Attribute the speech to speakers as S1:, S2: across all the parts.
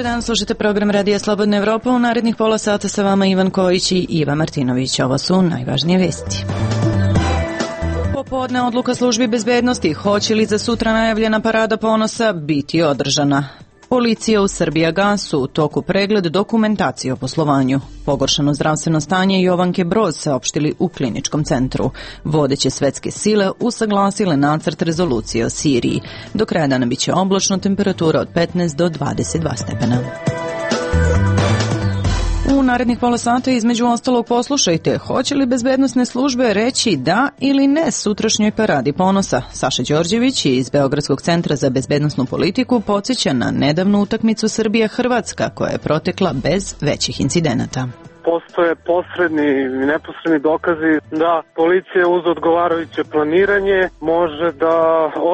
S1: dan, slušate program Radija Slobodna Evropa. U narednih pola sata sa vama Ivan Kojić i Iva Martinović. Ovo su najvažnije vesti. Popodne odluka službi bezbednosti. Hoće li za sutra najavljena parada ponosa biti održana? Policija u Srbijagasu u toku pregled dokumentacije o poslovanju. Pogoršano zdravstveno stanje Jovanke Broz saopštili u kliničkom centru. Vodeće svetske sile usaglasile nacrt rezolucije o Siriji. Do kraja dana biće oblačno, temperatura od 15 do 22 stepena. U narednih pola sata između ostalog poslušajte, hoće li bezbednosne službe reći da ili ne sutrašnjoj paradi ponosa. Saša Đorđević iz Beogradskog centra za bezbednosnu politiku podsjeća na nedavnu utakmicu Srbija-Hrvatska koja je protekla bez većih incidenata.
S2: Postoje posredni i neposredni dokazi da policija uz odgovarajuće planiranje može da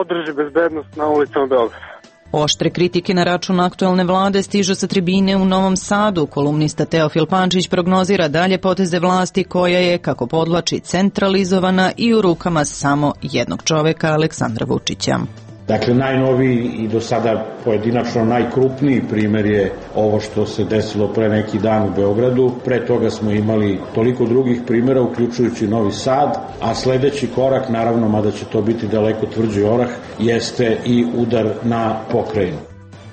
S2: održi bezbednost na ulicama Beograda.
S1: Oštre kritike na račun aktuelne vlade stižu sa tribine u Novom Sadu. Kolumnista Teofil Pančić prognozira dalje poteze vlasti koja je, kako podvlači, centralizovana i u rukama samo jednog čoveka, Aleksandra Vučića.
S3: Dakle, najnoviji i do sada pojedinačno najkrupniji primjer je ovo što se desilo pre neki dan u Beogradu. Pre toga smo imali toliko drugih primjera, uključujući Novi Sad, a sledeći korak, naravno, mada će to biti daleko tvrđi orah, jeste i udar na pokrajinu.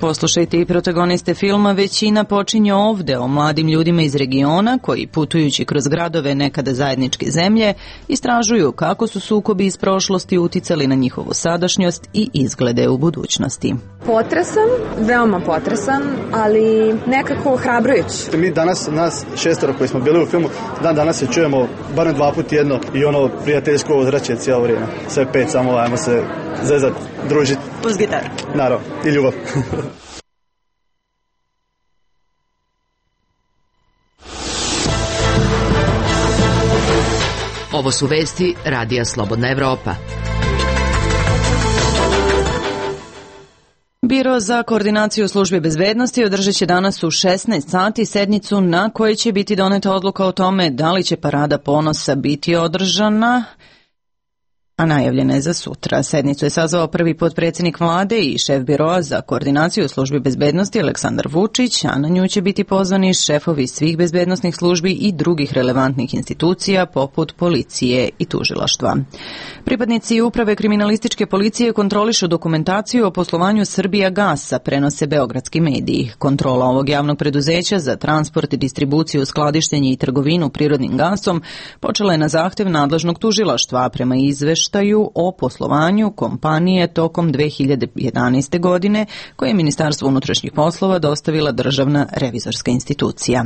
S1: Poslušajte i protagoniste filma Većina počinje ovde, o mladim ljudima iz regiona koji, putujući kroz gradove nekada zajedničke zemlje, istražuju kako su sukobi iz prošlosti uticali na njihovu sadašnjost i izglede u budućnosti.
S4: Potresan, veoma potresan, ali nekako ohrabrujući.
S5: Mi danas, nas šestoro koji smo bili u filmu, danas se čujemo barem 2 puta jedno i ono prijateljsko ozračje cijelo vrijeme. Sve 5, samo ajmo se zezat, družiti.
S1: Plus gitar.
S5: Naravno, i ljubav.
S6: Ovo su vesti Radija Slobodna Evropa.
S1: Biro za koordinaciju službe bezbednosti održat će danas u 16 sati sednicu na kojoj će biti doneta odluka o tome da li će parada ponosa biti održana, a najavljena je za sutra. Sednicu je sazvao prvi potpredsjednik vlade i šef biroa za koordinaciju službi bezbednosti Aleksandar Vučić, a na nju će biti pozvani šefovi svih bezbednosnih službi i drugih relevantnih institucija poput policije i tužilaštva. Pripadnici uprave kriminalističke policije kontrolišu dokumentaciju o poslovanju Srbijagasa, prenose beogradski mediji. Kontrola ovog javnog preduzeća za transport, distribuciju, skladištenje i trgovinu prirodnim gasom počela je na zahtev nadležnog tužilaštva, prema izveštaju o poslovanju kompanije tokom 2011. godine koje je Ministarstvo unutrašnjih poslova dostavila Državna revizorska institucija.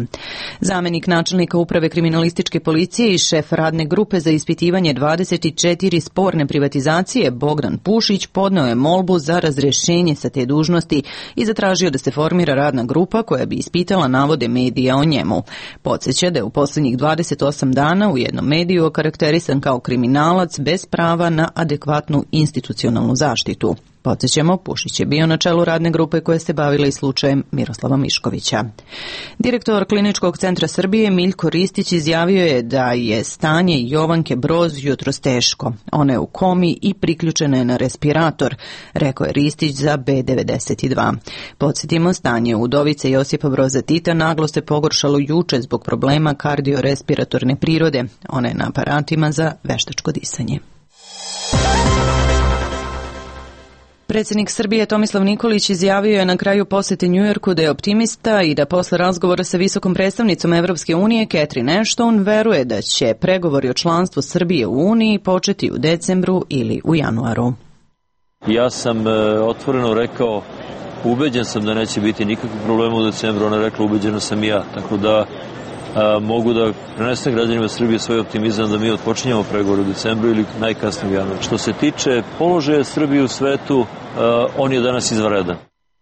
S1: Zamenik načelnika uprave kriminalističke policije i šef radne grupe za ispitivanje 24 sporne privatizacije Bogdan Pušić podneo je molbu za razrešenje sa te dužnosti i zatražio da se formira radna grupa koja bi ispitala navode medija o njemu. Podsjeća da je u posljednjih 28 dana u jednom mediju okarakterisan kao kriminalac bez prava na adekvatnu institucionalnu zaštitu. Podsjećamo, Pušić je bio na čelu radne grupe koja se bavila i slučajem Miroslava Miškovića. Direktor Kliničkog centra Srbije Miljko Ristić izjavio je da je stanje Jovanke Broz jutros teško. Ona je u komi i priključena je na respirator, rekao je Ristić za B92. Podsjetimo, stanje udovice Josipa Broza Tita naglo se pogoršalo juče zbog problema kardiorespiratorne prirode. Ona je na aparatima za veštačko disanje. Predsjednik Srbije Tomislav Nikolić izjavio je na kraju posete Njujorku da je optimista i da posle razgovora sa visokom predstavnicom Evropske unije Catherine Ashton veruje da će pregovori o članstvu Srbije u Uniji početi u decembru ili u januaru.
S7: Ja sam otvoreno rekao, ubeđen sam da neće biti nikakvih problema u decembru, ona je rekla ubeđeno sam i ja, tako da mogu da prenesem građanima Srbije svoj optimizam da mi otpočinjamo pregovor u decembru ili najkasnije u januaru. Što se tiče položaja Srbije u svetu, on je danas izvanredan.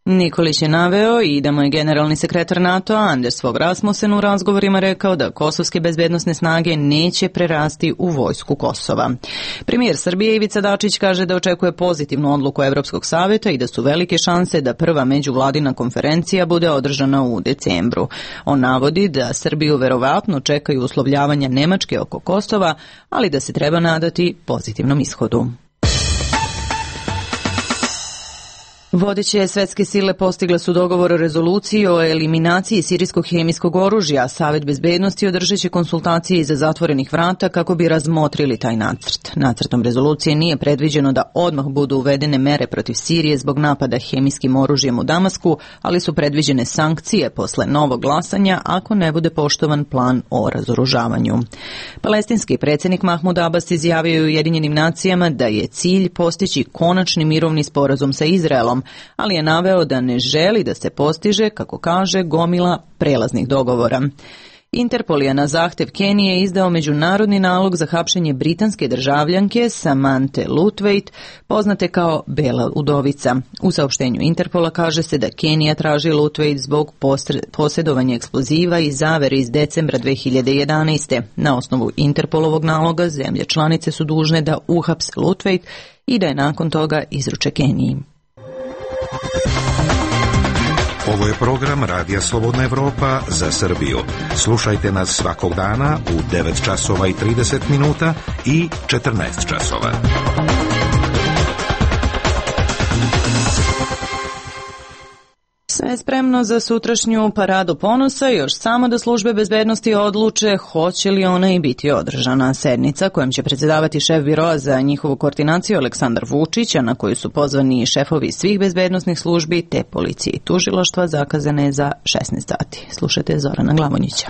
S1: Nikolić je naveo i da mu je generalni sekretar NATO Anders Fogh Rasmussen u razgovorima rekao da kosovske bezbednosne snage neće prerasti u vojsku Kosova. Premijer Srbije Ivica Dačić kaže da očekuje pozitivnu odluku Evropskog saveta i da su velike šanse da prva međuvladina konferencija bude održana u decembru. On navodi da Srbiju verovatno čekaju uslovljavanja Nemačke oko Kosova, ali da se treba nadati pozitivnom ishodu. Vodeće svetske sile postigle su dogovor o rezoluciji o eliminaciji sirijskog hemijskog oružja. Savet bezbednosti održat će konsultacije iza zatvorenih vrata kako bi razmotrili taj nacrt. Nacrtom rezolucije nije predviđeno da odmah budu uvedene mere protiv Sirije zbog napada hemijskim oružjem u Damasku, ali su predviđene sankcije posle novog glasanja ako ne bude poštovan plan o razoružavanju. Palestinski predsjednik Mahmud Abbas izjavio je Ujedinjenim nacijama da je cilj postići konačni mirovni sporazum sa Izraelom, ali je naveo da ne želi da se postiže, kako kaže, gomila prelaznih dogovora. Interpol je na zahtev Kenije izdao međunarodni nalog za hapšenje britanske državljanke Samanthe Lutveit, poznate kao Bela udovica. U saopštenju Interpola kaže se da Kenija traži Lutveit zbog posjedovanja eksploziva i zavere iz decembra 2011. Na osnovu Interpolovog naloga zemlje članice su dužne da uhapse Lutveit i da je nakon toga izruče Keniji.
S8: Ovo je program Radija Slobodna Evropa za Srbiju. Slušajte nas svakog dana u 9 časova i 30 minuta i 14 časova.
S1: Sve je spremno za sutrašnju paradu ponosa, još samo da službe bezbednosti odluče hoće li ona i biti održana. Sednica kojom će predsjedavati šef biroa za njihovu koordinaciju Aleksandar Vučić, a na koju su pozvani šefovi svih bezbednosnih službi te policije i tužilaštva, zakazane je za 16 sati. Slušajte Zorana Glavonjića.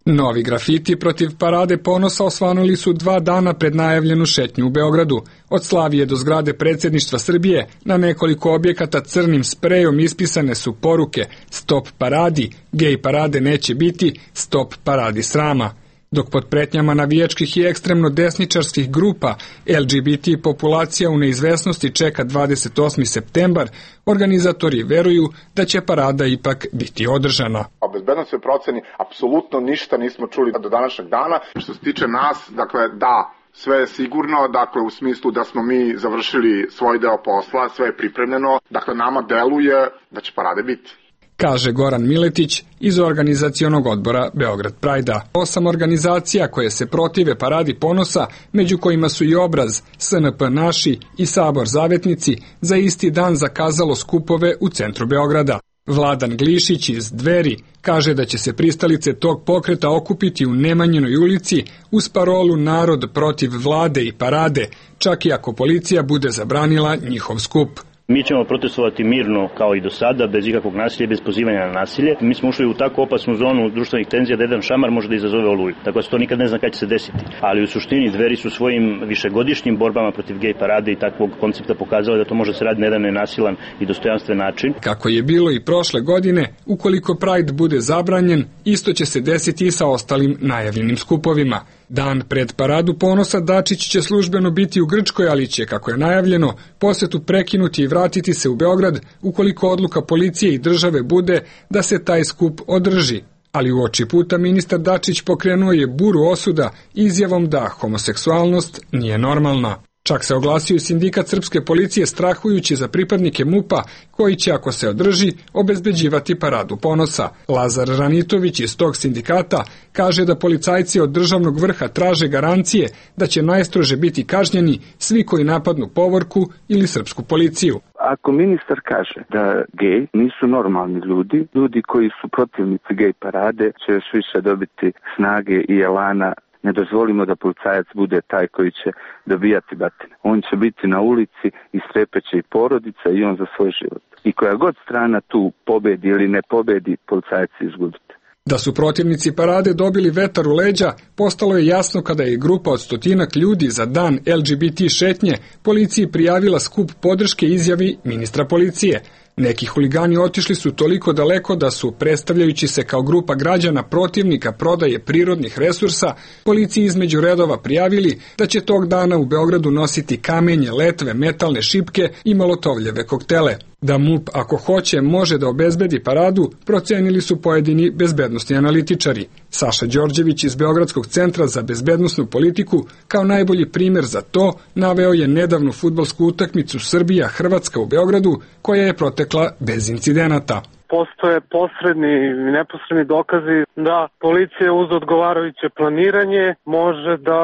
S9: Novi grafiti protiv parade ponosa osvanuli su 2 dana pred najavljenu šetnju u Beogradu. Od Slavije do zgrade predsjedništva Srbije na nekoliko objekata crnim sprejom ispisane su poruke Stop paradi, gej parade neće biti, stop paradi srama. Dok pod pretnjama navijačkih i ekstremno desničarskih grupa LGBT populacija u neizvesnosti čeka 28. septembar, organizatori veruju da će parada ipak biti održana.
S10: O bezbednosnoj proceni apsolutno ništa nismo čuli do današnjeg dana. Što se tiče nas, dakle, da, sve je sigurno, dakle, u smislu da smo mi završili svoj deo posla, sve je pripremljeno, dakle, nama deluje da će parade biti.
S9: Kaže Goran Miletić iz organizacionog odbora Beograd Prajda. 8 organizacija koje se protive paradi ponosa, među kojima su i Obraz, SNP Naši i Sabor Zavetnici, za isti dan zakazalo skupove u centru Beograda. Vladan Glišić iz Dveri kaže da će se pristalice tog pokreta okupiti u Nemanjinoj ulici uz parolu Narod protiv vlade i parade, čak i ako policija bude zabranila njihov skup.
S11: Mi ćemo protestovati mirno kao i do sada, bez ikakvog nasilja i bez pozivanja na nasilje. Mi smo ušli u tako opasnu zonu društvenih tenzija da jedan šamar može da izazove oluju. Tako da se to nikad ne zna kada će se desiti. Ali u suštini Dveri su svojim višegodišnjim borbama protiv gej parade i takvog koncepta pokazali da to može se raditi na jedan nenasilan i dostojanstven način.
S9: Kako je bilo i prošle godine, ukoliko Pride bude zabranjen, isto će se desiti i sa ostalim najavljenim skupovima. Dan pred paradu ponosa Dačić će službeno biti u Grčkoj, ali će, kako je najavljeno, posetu prekinuti i vratiti se u Beograd ukoliko odluka policije i države bude da se taj skup održi. Ali u oči puta ministar Dačić pokrenuo je buru osuda izjavom da homoseksualnost nije normalna. Čak se oglasio i sindikat srpske policije strahujući za pripadnike MUP-a koji će, ako se održi, obezbeđivati paradu ponosa. Lazar Ranitović iz tog sindikata kaže da policajci od državnog vrha traže garancije da će najstrože biti kažnjeni svi koji napadnu povorku ili srpsku policiju.
S12: Ako ministar kaže da gej nisu normalni ljudi, ljudi koji su protivnici gej parade će još više dobiti snage i elana. Ne dozvolimo da policajac bude taj koji će dobijati batine. On će biti na ulici i strepeće i porodica i on za svoj život. I koja god strana tu pobedi ili ne pobedi, policajac izgubiti.
S9: Da su protivnici parade dobili vetar u leđa, postalo je jasno kada je grupa od 100 ljudi za dan LGBT šetnje policiji prijavila skup podrške izjavi ministra policije. Neki huligani otišli su toliko daleko da su, predstavljajući se kao grupa građana protivnika prodaje prirodnih resursa, policiji između redova prijavili da će tog dana u Beogradu nositi kamenje, letve, metalne šipke i molotovljeve koktele. Da MUP, ako hoće, može da obezbedi paradu, procenili su pojedini bezbednosni analitičari. Saša Đorđević iz Beogradskog centra za bezbednosnu politiku kao najbolji primjer za to naveo je nedavnu fudbalsku utakmicu Srbija-Hrvatska u Beogradu koja je protekla bez incidenata.
S2: postoje posredni i neposredni dokazi da policija uz odgovarajuće planiranje može da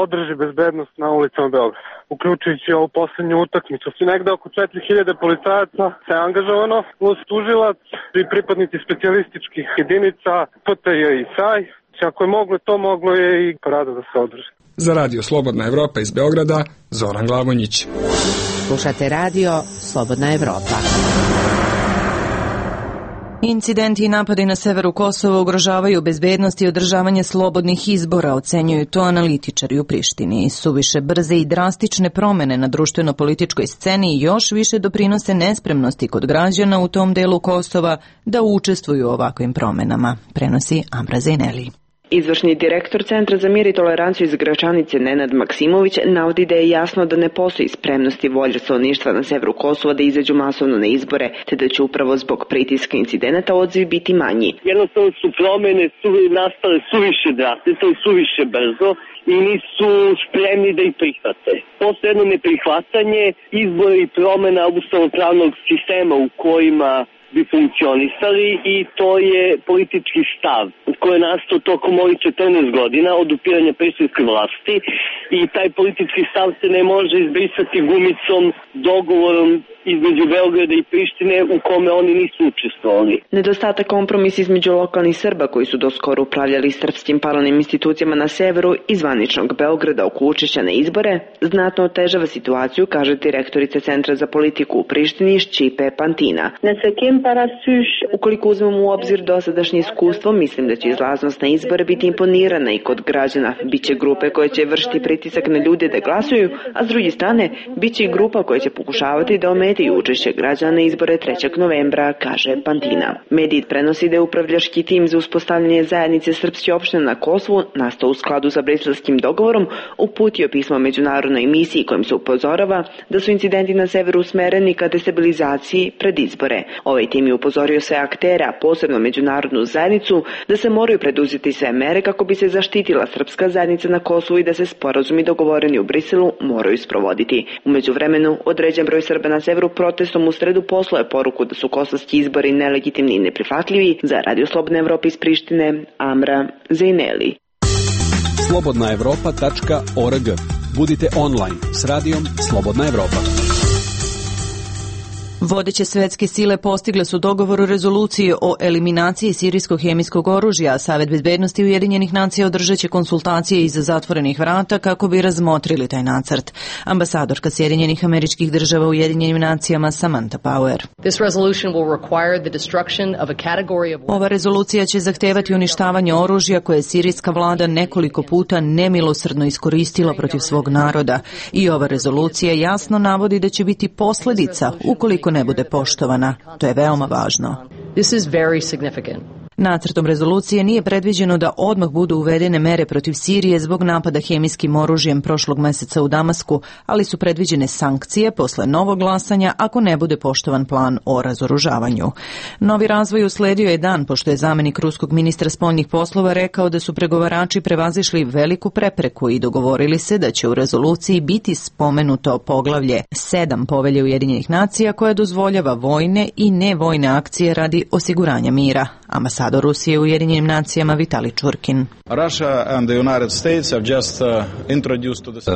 S2: održi bezbednost na ulicama Beograda. Uključujući ovu poslednju utakmicu. Negde oko 4000 policajaca se angažovano, uz tužilac i pripadnici specijalističkih jedinica PTJ i SAJ. Ako je moglo to, moglo je i parada da se održi.
S9: Za Radio Slobodna Evropa iz Beograda, Zoran Glavonjić.
S6: Slušate Radio Slobodna Evropa.
S1: Incidenti i napadi na severu Kosova ugrožavaju bezbednost i održavanje slobodnih izbora, ocenjuju to analitičari u Prištini. Suviše brze i drastične promene na društveno-političkoj sceni još više doprinose nespremnosti kod građana u tom delu Kosova da učestvuju u ovakvim promenama, prenosi Amra Zejneli.
S13: Izvršni direktor Centra za mir i toleranciju iz Gračanice Nenad Maksimović navodi da je jasno da ne postoji spremnost i volja stanovništva na severu Kosova da izađu masovno na izbore, te da će upravo zbog pritiska incidenata odziv biti manji.
S14: Jednostavno su promene nastale suviše drastično i suviše brzo i nisu spremni da ih prihvate. Postoje jedno neprihvatanje izbora i promena ustavno-pravnog sistema u kojima bi funkcionisali i to je politički stav koji je nastao tokom ovih 14 godina od upiranja prištinske vlasti i taj politički stav se ne može izbrisati gumicom, dogovorom između Beograda i Prištine u kome oni nisu učestvovali.
S13: Nedostatak kompromisa između lokalnih Srba koji su doskoro upravljali srpskim paralelnim institucijama na severu i zvaničnog Beograda oko učešća na izbore znatno otežava situaciju, kaže direktorica Centra za politiku u Prištini Šćipe Pantina. Ukoliko uzmemo u obzir dosadašnje iskustvo, mislim da će izlaznost na izbore biti imponirana i kod građana. Biće grupe koje će vršiti pritisak na ljude da glasuju, a s druge strane, biće i grupa koja će pokušavati da ometaju učešće građana na izbore 3. novembra, kaže Pantina. Medij prenosi da je upravljački tim za uspostavljanje zajednice srpske opštine na Kosovu, nastao u skladu sa briselskim dogovorom, uputio pismo međunarodnoj misiji kojim se upozorava da su incidenti na severu usmereni ka destabilizaciji pred izbore. Ovaj tim je upozorio sve aktere, a posebno međunarodnu zajednicu, da se moraju preduzeti sve mere kako bi se zaštitila srpska zajednica na Kosovu i da se sporazumi dogovoreni u Briselu moraju sprovoditi. U međuvremenu, određen broj Srba na severu protestom u sredu poslao je poruku da su kosovski izbori nelegitimni i neprihvatljivi. Za Radio Slobodna Evropa iz Prištine, Amra Zejneli.
S15: slobodnaevropa.org. Budite online s radijom Slobodna Evropa.
S1: Vodeće svetske sile postigle su dogovor o rezoluciji o eliminaciji sirijskog hemijskog oružja, a Savet bezbednosti Ujedinjenih nacija održat će konsultacije iza zatvorenih vrata kako bi razmotrili taj nacrt. Ambasadorka Sjedinjenih Američkih Država u Ujedinjenim nacijama Samantha Power. Ova rezolucija će zahtevati uništavanje oružja koje je sirijska vlada nekoliko puta nemilosrdno iskoristila protiv svog naroda. I ova rezolucija jasno navodi da će biti posljedica ukoliko ne bude poštovana. To je veoma važno. Nacrtom rezolucije nije predviđeno da odmah budu uvedene mere protiv Sirije zbog napada hemijskim oružjem prošlog meseca u Damasku, ali su predviđene sankcije posle novog glasanja ako ne bude poštovan plan o razoružavanju. Novi razvoj usledio je dan pošto je zamenik ruskog ministra spoljnih poslova rekao da su pregovarači prevazišli veliku prepreku i dogovorili se da će u rezoluciji biti spomenuto poglavlje 7 Povelje Ujedinjenih nacija koja dozvoljava vojne i nevojne akcije radi osiguranja mira. Ambasador Rusije u Ujedinjenim nacijama Vitali Čurkin.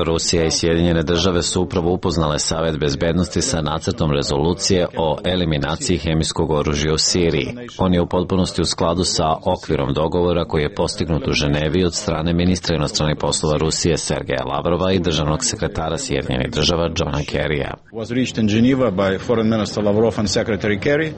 S16: Rusija i Sjedinjene države su upravo upoznale Savet bezbednosti sa nacrtom rezolucije o eliminaciji hemijskog oružja u Siriji. On je u potpunosti u skladu sa okvirom dogovora koji je postignut u Ženevi od strane ministra inostranih poslova Rusije Sergeja Lavrova i državnog sekretara Sjedinjenih država Johna Kerrya.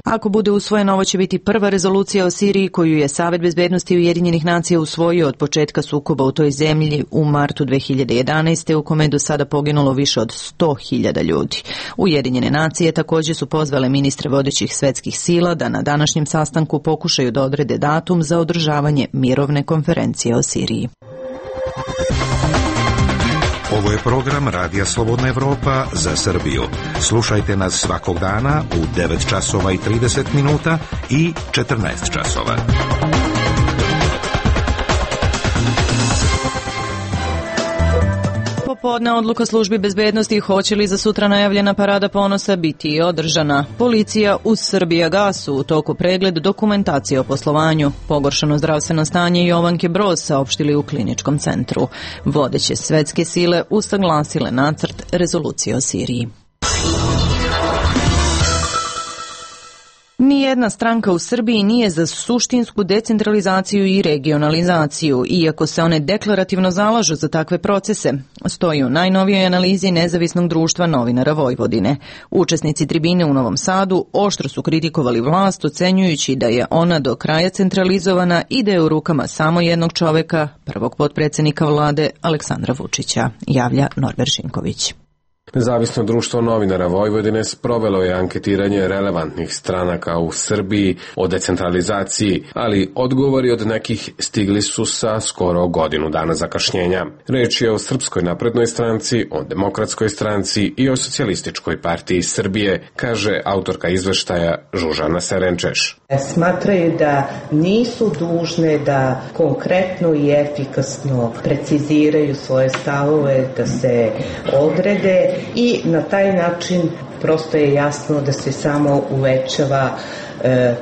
S1: Ako bude usvojeno, ovo će biti prva rezolucija o Siriji koju je Savet bezbednosti Ujedinjenih nacija usvojio od početka sukoba u toj zemlji u martu 2011. u kome je do sada poginulo više od 100.000 ljudi. Ujedinjene nacije također su pozvale ministre vodećih svetskih sila da na današnjem sastanku pokušaju da odrede datum za održavanje mirovne konferencije o Siriji.
S8: Ovo je program Radija Slobodna Evropa za Srbiju. Slušajte nas svakog dana u 9 časova i 30 minuta i 14 časova.
S1: popodne odluka službi bezbednosti hoće li za sutra najavljena parada ponosa biti održana. Policija uz Srbijagasu u toku pregled dokumentacije o poslovanju. Pogoršano zdravstveno stanje Jovanke Broz saopštili u kliničkom centru. Vodeće svetske sile usaglasile nacrt rezolucije o Siriji. Nijedna stranka u Srbiji nije za suštinsku decentralizaciju i regionalizaciju, iako se one deklarativno zalažu za takve procese, stoji u najnovijoj analizi Nezavisnog društva novinara Vojvodine. Učesnici tribine u Novom Sadu oštro su kritikovali vlast, ocenjujući da je ona do kraja centralizovana i da je u rukama samo jednog čoveka, prvog potpredsjednika vlade Aleksandra Vučića, javlja Norbert Šinković.
S17: Nezavisno društvo novinara Vojvodine sprovelo je anketiranje relevantnih stranaka u Srbiji o decentralizaciji, ali odgovori od nekih stigli su sa skoro godinu dana zakašnjenja. Reč je o Srpskoj naprednoj stranci, o Demokratskoj stranci i o Socijalističkoj partiji Srbije, kaže autorka izveštaja Žužana Serenčeš.
S18: Smatraju da nisu dužne da konkretno i efikasno preciziraju svoje stavove, da se odrede i na taj način prosto je jasno da se samo uvećava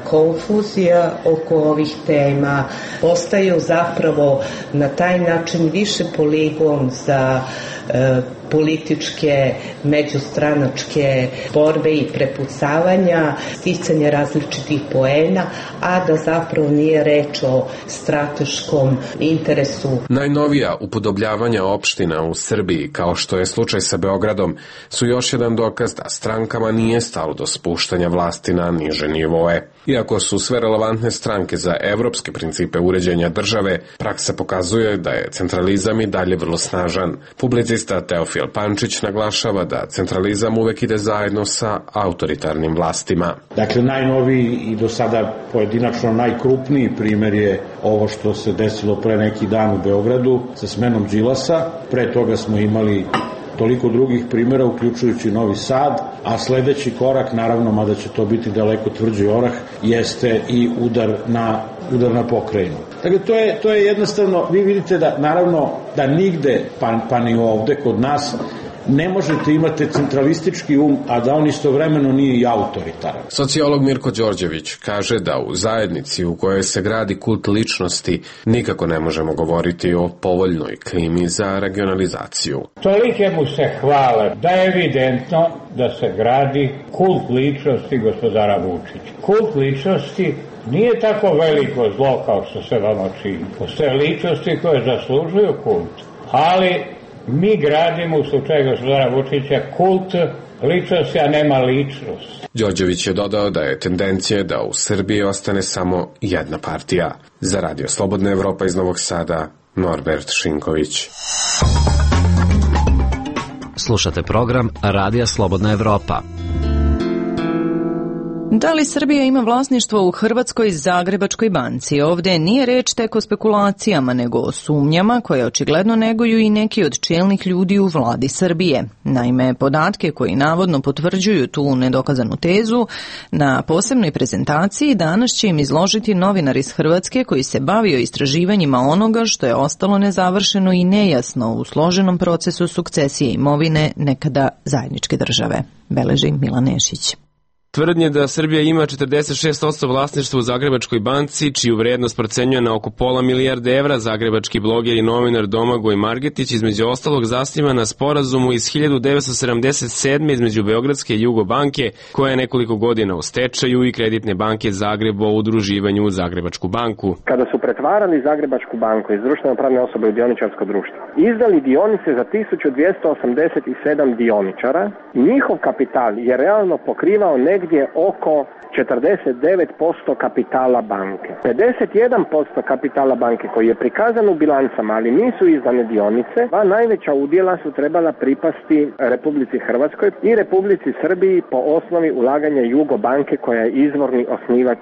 S18: konfuzija oko ovih tema, postaju zapravo na taj način više poligon za političke, međustranačke borbe i prepucavanja, sticanje različitih poena, a da zapravo nije reč o strateškom interesu.
S17: Najnovija upodobljavanja opština u Srbiji, kao što je slučaj sa Beogradom, su još jedan dokaz da strankama nije stalo do spuštanja vlasti na niže nivoe. Iako su sve relevantne stranke za evropske principe uređenja države, praksa pokazuje da je centralizam i dalje vrlo snažan. Publicista Teofil Pančić naglašava da centralizam uvek ide zajedno sa autoritarnim vlastima.
S3: Dakle, najnoviji i do sada pojedinačno najkrupniji primer je ovo što se desilo pre neki dan u Beogradu sa smenom Đilasa. Pre toga smo imali toliko drugih primjera, uključujući Novi Sad, a sledeći korak, naravno, mada će to biti daleko tvrđi orah, jeste i udar na pokrajinu. Dakle, to je jednostavno, vi vidite da, naravno, da nigde, pa ni ovde kod nas, ne možete imati centralistički a da on istovremeno nije i autoritaran.
S17: Sociolog Mirko Đorđević kaže da u zajednici u kojoj se gradi kult ličnosti nikako ne možemo govoriti o povoljnoj klimi za regionalizaciju.
S19: Tolike mu se hvale da je evidentno da se gradi kult ličnosti gospodara Vučića. Kult ličnosti nije tako veliko zlo kao što se vama čini. Postoje ličnosti koje zaslužuju kult, ali mi gradimo u slučaju gospodara Vučića kult ličnosti, a nema ličnost.
S17: Đorđević je dodao da je tendencija da u Srbiji ostane samo jedna partija. Za Radio Slobodna Evropa iz Novog Sada, Norbert Šinković.
S6: Slušate program Radija Slobodna Evropa.
S1: Da li Srbija ima vlasništvo u Hrvatskoj Zagrebačkoj banci? Ovdje nije reč tek o spekulacijama, nego o sumnjama koje očigledno neguju i neki od čelnih ljudi u vladi Srbije. Naime, podatke koji navodno potvrđuju tu nedokazanu tezu, na posebnoj prezentaciji danas će im izložiti novinar iz Hrvatske koji se bavio istraživanjima onoga što je ostalo nezavršeno i nejasno u složenom procesu sukcesije imovine nekada zajedničke države. Beleži Milan Nešić.
S20: Tvrdnje da Srbija ima 46% vlasništva u Zagrebačkoj banci, čiju vrednost procenjuje na oko $500 milijarde evra, zagrebački bloger i novinar Domagoj Margetić između ostalog zasniva na sporazumu iz 1977. između Beogradske i Jugobanke, koja je nekoliko godina u stečaju, i Kreditne banke Zagreb o udruživanju u Zagrebačku banku.
S21: Kada su pretvarali Zagrebačku banku iz društveno pravne osobe u dioničarsko društvo, izdali dionice za 1287 dioničara, njihov kapital je realno pokrivao negdje oko 49% kapitala banke. 51% kapitala banke koji je prikazan u bilancama, ali nisu izdane dionice, dva najveća udjela su trebala pripasti Republici Hrvatskoj i Republici Srbiji po osnovi ulaganja Jugobanke koja je izvorni osnivač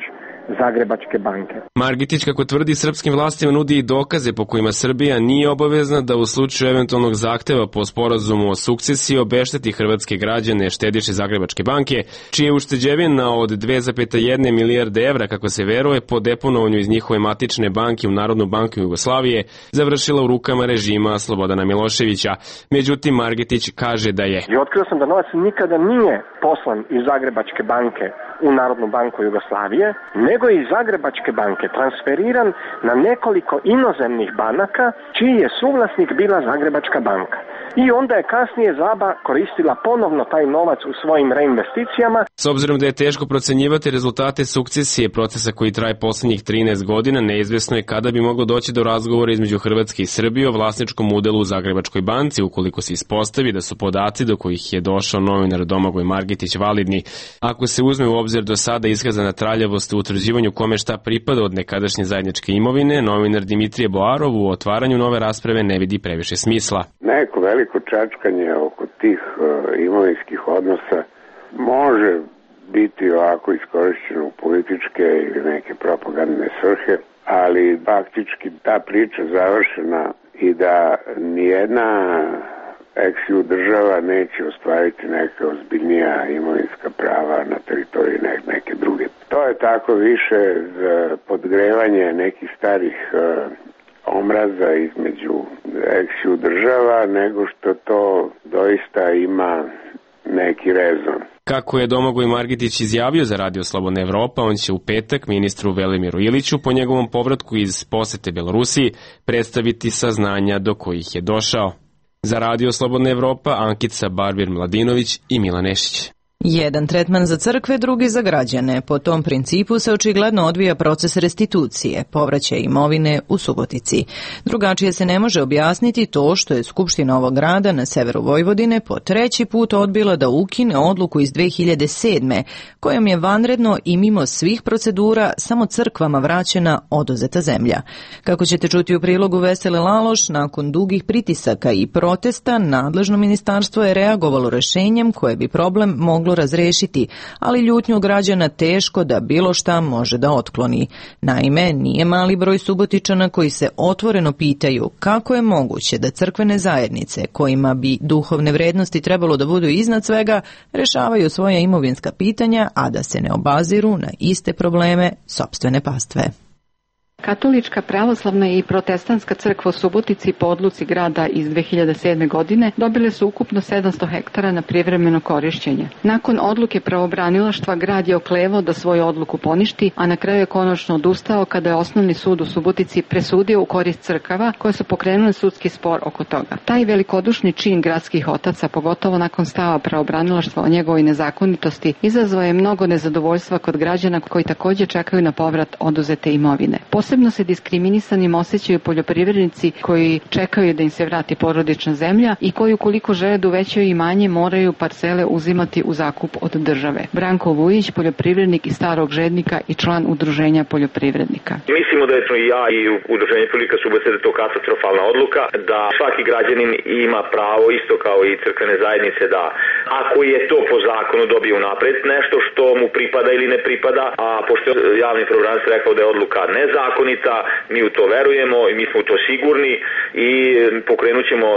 S21: Zagrebačke banke.
S20: Margitić, kako tvrdi, srpskim vlastima nudi i dokaze po kojima Srbija nije obavezna da u slučaju eventualnog zahteva po sporazumu o sukcesiji obešteti hrvatske građane štediše Zagrebačke banke, čije ušteđevina od 2,1 milijarde evra, kako se veruje, po deponovanju iz njihove matične banke u Narodnu banku Jugoslavije završila u rukama režima Slobodana Miloševića. Međutim, Margitić kaže da je.
S21: I otkrio sam da novac nikada nije poslan iz Zagrebačke banke u Narodnu banku Jugoslavije, nego je iz Zagrebačke banke transferiran na nekoliko inozemnih banaka, čiji je suvlasnik bila Zagrebačka banka. I onda je kasnije ZABA koristila ponovno taj novac u svojim reinvesticijama.
S20: S obzirom da je teško procenjivati rezultate sukcesije procesa koji traje poslednjih 13 godina, neizvesno je kada bi moglo doći do razgovora između Hrvatske i Srbije o vlasničkom udelu u Zagrebačkoj banci, ukoliko se ispostavi da su podaci do kojih je došao novinar Domagoj Margitić validni. Ako se uzme u obzir do sada iskazana traljavost u utvrđivanju kome šta pripada od nekadašnje zajedničke imovine, novinar Dimitrije Boarov u otvaranju nove rasprave ne vidi previše smisla.
S4: Neko veliko čačkanje oko tih imovinskih odnosa može biti ovako iskorišćeno u političke ili neke propagandne svrhe, ali faktički ta priča završena i da nijedna ex-ju država neće ostvariti neka ozbiljnija imovinska prava na teritoriji neke druge. To je tako više za podgrevanje nekih starih omraza između ex-ju država, nego što to doista ima neki rezon.
S20: Kako je Domagoj Margitić izjavio za Radio Slobodna Evropa, on će u petak ministru Velimiru Iliću po njegovom povratku iz posete Belorusiji predstaviti saznanja do kojih je došao. Za Radio Slobodna Evropa, Ankica Barbir-Mladinović i Milan Nešić.
S1: Jedan tretman za crkve, drugi za građane. Po tom principu se očigledno odvija proces restitucije, povraćaja imovine u Subotici. Drugačije se ne može objasniti to što je Skupština ovog grada na severu Vojvodine po treći put odbila da ukine odluku iz 2007. kojom je vanredno i mimo svih procedura samo crkvama vraćena oduzeta zemlja. Kako ćete čuti u prilogu Vesele Laloš, nakon dugih pritisaka i protesta, nadležno ministarstvo je reagovalo rešenjem koje bi problem moglo razrešiti, ali ljutnju građana teško da bilo šta može da otkloni. Naime, nije mali broj Subotičana koji se otvoreno pitaju kako je moguće da crkvene zajednice, kojima bi duhovne vrednosti trebalo da budu iznad svega, rešavaju svoja imovinska pitanja, a da se ne obaziru na iste probleme sopstvene pastve.
S22: Katolička, pravoslavna i protestantska crkva u Subotici po odluci grada iz 2007. godine dobile su ukupno 700 hektara na privremeno korišćenje. Nakon odluke pravobranilaštva grad je oklevao da svoju odluku poništi, a na kraju je konačno odustao kada je osnovni sud u Subotici presudio u korist crkava koje su pokrenule sudski spor oko toga. Taj velikodušni čin gradskih otaca, pogotovo nakon stava pravobranilaštva o njegovoj nezakonitosti, izazvao je mnogo nezadovoljstva kod građana koji također čekaju na povrat oduzete imovine. Posebno se diskriminisanim osjećaju poljoprivrednici koji čekaju da im se vrati porodična zemlja i koji ukoliko žele da uvećaju imanje moraju parcele uzimati u zakup od države. Branko Vujić, poljoprivrednik iz Starog Žednika i član udruženja poljoprivrednika.
S23: Mislimo da je i ja i udruženje poljoprivrednika Subotice da je to katastrofalna odluka, da svaki građanin ima pravo, isto kao i crkvene zajednice, da ako je to po zakonu dobije unapred nešto što mu pripada ili ne pripada, a pošto je javni pravobranilac rekao da je odluka nezakonita, mi u to verujemo i mi smo u to sigurni i pokrenut ćemo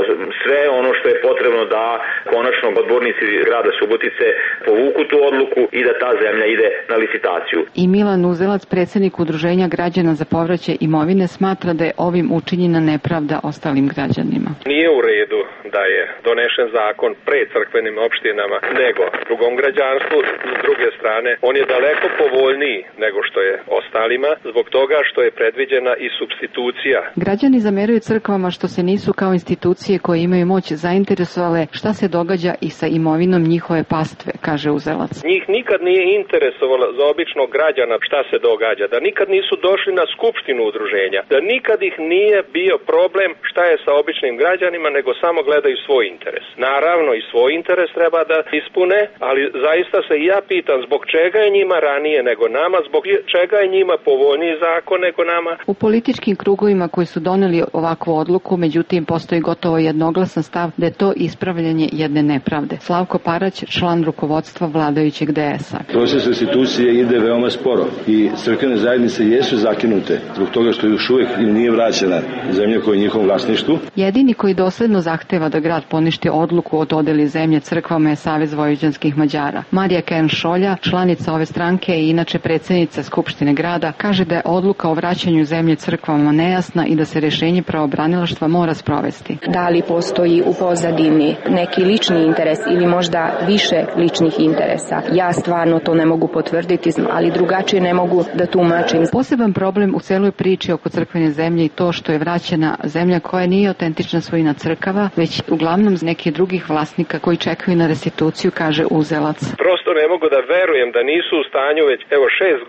S23: sve ono što je potrebno da konačno odbornici grada Subotice povuku tu odluku i da ta zemlja ide na licitaciju.
S22: I Milan Uzelac, predsjednik udruženja građana za povraćaj imovine, smatra da je ovim učinjena nepravda ostalim građanima.
S24: Nije u redu da je donešen zakon pred crkvenim opštinama nego drugom građanstvu. S druge strane, on je daleko povoljniji nego što je ostalima zbog toga što je predviđena i supstitucija.
S22: Građani zameraju crkvama što se nisu kao institucije koje imaju moć zainteresovale šta se događa i sa imovinom njihove pastve, kaže Uzelac.
S24: Njih nikad nije interesovalo za običnog građana šta se događa, da nikad nisu došli na skupštinu udruženja, da nikad ih nije bio problem šta je sa običnim građanima, nego samo gledaju svoj interes. Naravno i svoj interes treba treba da ispune, ali zaista se i ja pitam zbog čega je njima ranije nego nama, zbog čega je njima povoljniji zakon nego nama.
S22: U političkim krugovima koji su doneli ovakvu odluku, međutim, postoji gotovo jednoglasan stav da je to ispravljanje jedne nepravde. Slavko Parać, član rukovodstva vladajućeg DS-a.
S5: Proces restitucije ide veoma sporo i crkvene zajednice jesu zakinute zbog toga što još uvijek im nije vraćena zemlja koja je u njihovom vlasništvu.
S22: Jedini koji dosledno zahteva da grad poništi odluku o dodeli zemlje crkvama je Savez vojvođanskih Mađara. Marija Kern-Šolja, članica ove stranke i inače predsjednica Skupštine grada, kaže da je odluka o vraćanju zemlje crkvama nejasna i da se rješenje pravobranilaštva mora sprovesti.
S7: Da li postoji u pozadini neki lični interes ili možda više ličnih interesa? Ja stvarno to ne mogu potvrditi, ali drugačije ne mogu da tumačim.
S22: Poseban problem u celoj priči oko crkvene zemlje i to što je vraćena zemlja koja nije autentična svojina crkava, već uglavnom nekih drugih vlasnika koji čekaju na restituciju, kaže uzelac.
S24: Prosto ne mogu da verujem da nisu u stanju već 6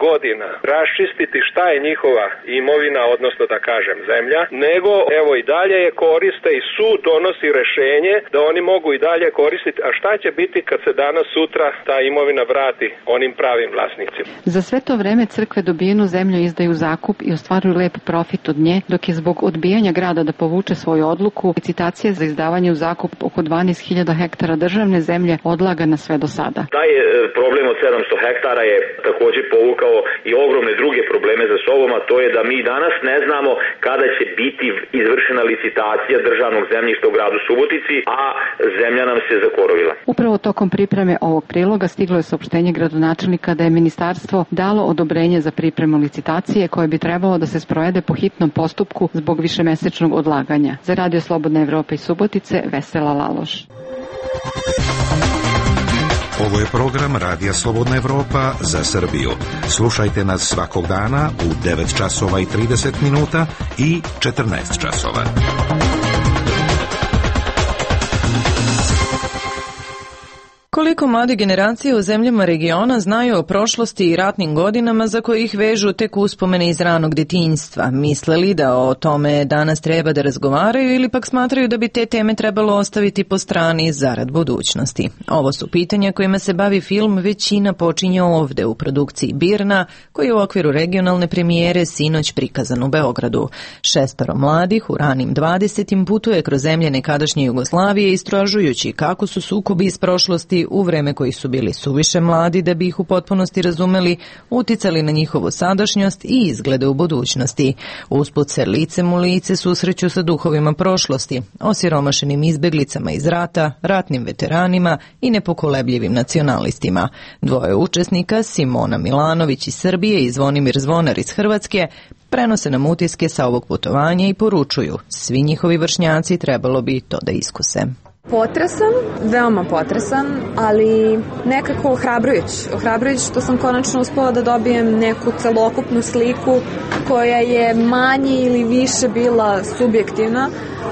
S24: godina raščistiti šta je njihova imovina, odnosno da kažem zemlja, nego i dalje je koriste i sud donosi rešenje da oni mogu i dalje koristiti. A šta će biti kad se danas sutra ta imovina vrati onim pravim vlasnicima?
S22: Za sve to vreme crkve dobijenu zemlju izdaju zakup i ostvaruju lep profit od nje, dok je zbog odbijanja grada da povuče svoju odluku, licitacija za izdavanje u zakup oko 12.000 hektara državne zemlje odlagana sve do sada.
S23: Taj problem od 700 hektara je također povukao i ogromne druge probleme za sobom, a to je da mi danas ne znamo kada će biti izvršena licitacija državnog zemljišta u gradu Subotici, a zemlja nam se zakorovila.
S22: Upravo tokom pripreme ovog priloga stiglo je saopštenje gradonačelnika da je ministarstvo dalo odobrenje za pripremu licitacije koje bi trebalo da se sprovede po hitnom postupku zbog višemesečnog odlaganja. Za Radio Slobodna Evropa iz Subotice, Vesela Laloš.
S8: Ovo je program Radija Slobodna Evropa za Srbiju. Slušajte nas svakog dana u 9 časova i 30 minuta i 14 časova.
S1: Koliko mlade generacije u zemljama regiona znaju o prošlosti i ratnim godinama za koje ih vežu tek uspomene iz ranog detinjstva? Misle li da o tome danas treba da razgovaraju ili pak smatraju da bi te teme trebalo ostaviti po strani zarad budućnosti? Ovo su pitanja kojima se bavi film Većina počinje ovde u produkciji Birna, koji je u okviru regionalne premijere sinoć prikazan u Beogradu. 6 mladih u ranim 20. putuje kroz zemlje nekadašnje Jugoslavije istražujući kako su sukobi iz prošlosti u vreme koji su bili suviše mladi da bi ih u potpunosti razumeli, uticali na njihovu sadašnjost i izglede u budućnosti. Usput se licem u lice susreću sa duhovima prošlosti, osiromašenim izbeglicama iz rata, ratnim veteranima i nepokolebljivim nacionalistima. Dvoje učesnika, Simona Milanović iz Srbije i Zvonimir Zvonar iz Hrvatske, prenose nam utiske sa ovog putovanja i poručuju, svi njihovi vršnjaci trebalo bi to da iskuse.
S10: Potresan, veoma potresan, ali nekako ohrabrujuć što sam konačno uspela da dobijem neku celokupnu sliku koja je manje ili više bila subjektivna,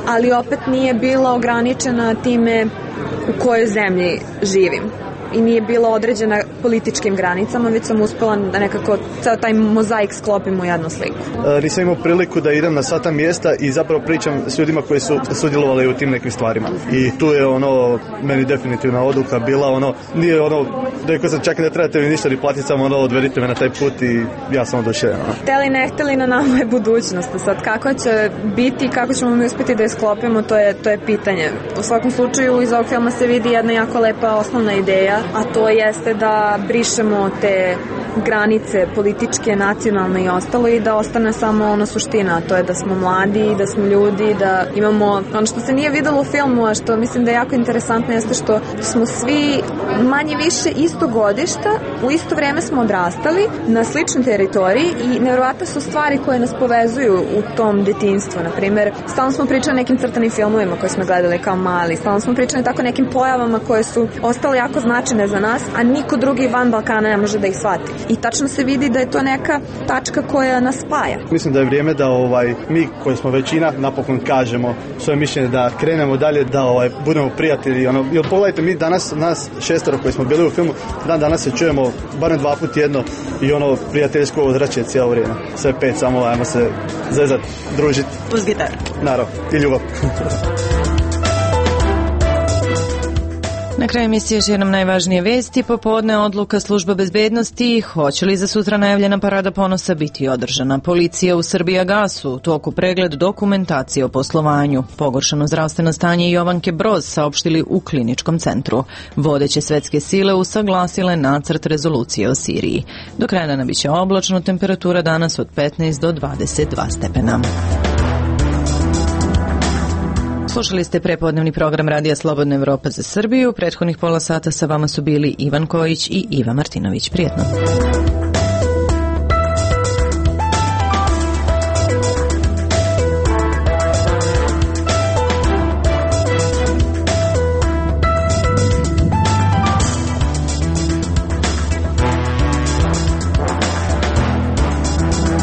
S10: ali opet nije bila ograničena time u kojoj zemlji živim. I nije bila određena političkim granicama, već sam uspela da nekako ceo taj mozaik sklopim u jednu sliku.
S11: Nisam imao priliku da idem na sva ta mjesta i zapravo pričam s ljudima koji su sudjelovali u tim nekim stvarima. I tu je meni definitivna odluka bila nije rekao sam čak ne trebate mi ništa ni platiti, samo odvedite me na taj put i ja sam oduševljen.
S10: Hteli ne hteli, na nama je budućnost. Sad kako će biti, kako ćemo mi uspjeti da je sklopimo, to je pitanje. U svakom slučaju iz ovog filma se vidi jedna jako lepa osnovna ideja, a to jeste da brišemo te granice političke, nacionalne i ostalo i da ostane samo suština, a to je da smo mladi, da smo ljudi, da imamo ono što se nije videlo u filmu, a što mislim da je jako interesantno jeste što smo svi manje više istog godišta, u isto vrijeme smo odrastali na sličnoj teritoriji i nevjerovatne su stvari koje nas povezuju u tom detinjstvu. Naprimjer, stalno smo pričali nekim crtanim filmovima koje smo gledali kao mali, stalno smo pričali tako nekim pojavama koje su ostale jako značajne za nas, a niko drugi van Balkana ne može da ih shvati. I tačno se vidi da je to neka tačka koja nas spaja.
S11: Mislim da je vrijeme da mi koji smo većina napokon kažemo svoje mišljenje, da krenemo dalje, da budemo prijatelji. Jer pogledajte, mi danas, nas 6 koji smo bili u filmu, danas se čujemo barem 2 puta tjedno i prijateljsko ozračje cijelo vrijeme. Sve 5, samo ajmo se zezati, družiti.
S1: Uz gitaru.
S11: Naravno, i ljubav.
S1: Na kraju emisije još jednom najvažnije vesti. Popodne odluka služba bezbednosti. Hoće li za sutra najavljena parada ponosa biti održana? Policija u Srbijagasu u toku pregled dokumentacije o poslovanju. Pogoršano zdravstveno stanje Jovanke Broz saopštili u kliničkom centru. Vodeće svetske sile usaglasile nacrt rezolucije o Siriji. Do kraja dana biće oblačno, temperatura danas od 15 do 22 stepena. Slušali ste prepodnevni program Radija Slobodna Evropa za Srbiju. Prethodnih pola sata sa vama su bili Ivan Kojić i Iva Martinović. Prijetno.